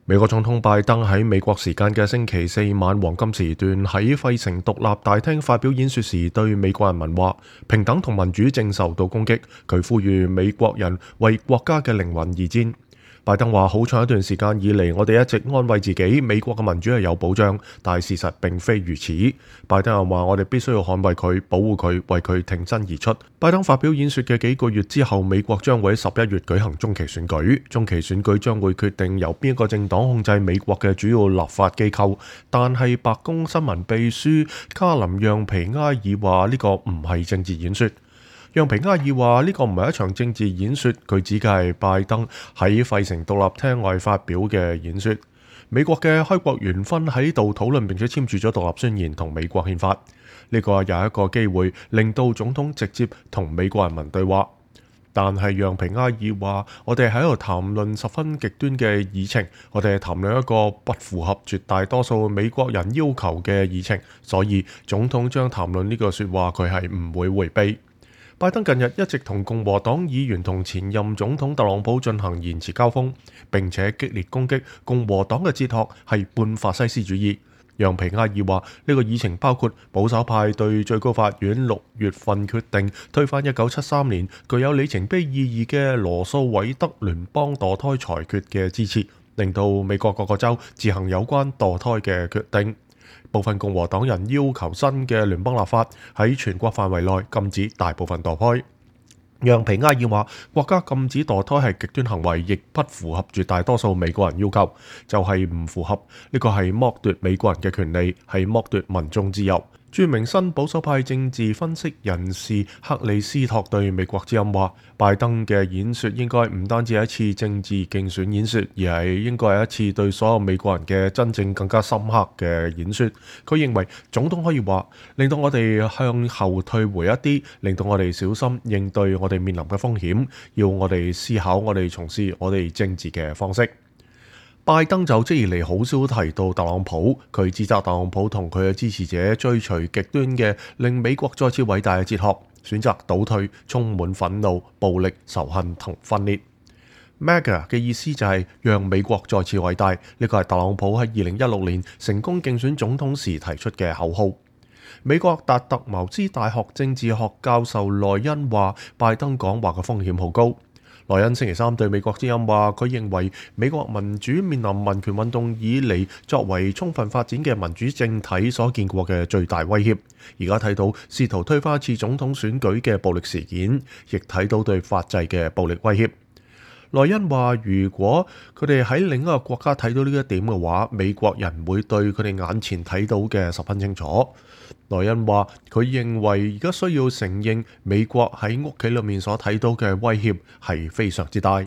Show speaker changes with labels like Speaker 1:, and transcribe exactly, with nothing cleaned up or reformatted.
Speaker 1: 美國總統拜登喺美國時間嘅星期四晚黃金時段喺費城獨立大廳發表演說時，對美國人民話：平等同民主正受到攻擊。佢呼籲美國人為國家嘅靈魂而戰。拜登話：好長一段時間以嚟，我哋一直安慰自己，美國嘅民主係有保障，但係事實並非如此。拜登又話：我哋必須要捍衛佢、保護佢、為佢挺身而出。拜登發表演說嘅幾個月之後，美國將會喺十一月舉行中期選舉。中期選舉將會決定由邊一個政黨控制美國嘅主要立法機構。但係白宮新聞秘書卡林讓皮埃爾話：呢個唔係政治演說。讓皮埃爾話：呢個唔係一場政治演說，佢指嘅係拜登喺費城獨立廳外發表嘅演說。美國嘅開國元勳喺度討論並且簽署咗獨立宣言同美國憲法，呢個又係一個機會令到總統直接同美國人民對話。但係讓皮埃爾話：我哋喺度談論十分極端嘅議程，我哋係談論一個不符合絕大多數美國人要求嘅議程，所以總統將談論呢個說話，佢係唔會迴避。拜登近日一直同共和黨議員同前任總統特朗普進行言辭交鋒，並且激烈攻擊共和黨嘅哲學係半法西斯主義。讓皮埃爾話：呢個議程包括保守派對最高法院六月份決定推翻一九七三年具有里程碑意義嘅羅訴韋德聯邦墮胎裁決嘅支持，令到美國各個州自行有關墮胎嘅決定。部分共和黨人要求新嘅聯邦立法喺全國範圍內禁止大部分墮胎。讓皮埃爾話：國家禁止墮胎係極端行為，亦不符合絕大多數美國人要求，就係、是、唔符合呢個係剝奪美國人嘅權利，係剝奪民眾自由。著名新保守派政治分析人士克里斯托對美國之音話：拜登嘅演說應該唔單止係一次政治競選演說，而係應該係一次對所有美國人嘅真正更加深刻嘅演說。佢認為總統可以話，令到我哋向後退回一啲，令到我哋小心應對我哋面臨嘅風險，要我哋思考我哋從事我哋政治嘅方式。拜登就職以嚟好少提到特朗普，佢指責特朗普同佢嘅支持者追隨極端嘅令美國再次偉大嘅哲學，選擇倒退，充滿憤怒、暴力、仇恨同分裂。MAGA 嘅意思就係讓美國再次偉大，呢個係特朗普喺二零一六年成功競選總統時提出嘅口號。美國達特茅茲大學政治學教授萊恩話：拜登講話嘅風險好高。萊恩星期三對美國之音話，佢認為美國民主面臨民權運動以嚟作為充分發展嘅民主政體所見過嘅最大威脅。而家睇到試圖推翻一次總統選舉嘅暴力事件，亦睇到對法制嘅暴力威脅。萊恩話：如果佢哋喺另一個國家睇到呢一點嘅話，美國人會對佢哋眼前睇到嘅十分清楚。萊恩話：佢認為而家需要承認美國喺屋企裏面所睇到嘅威脅係非常之大。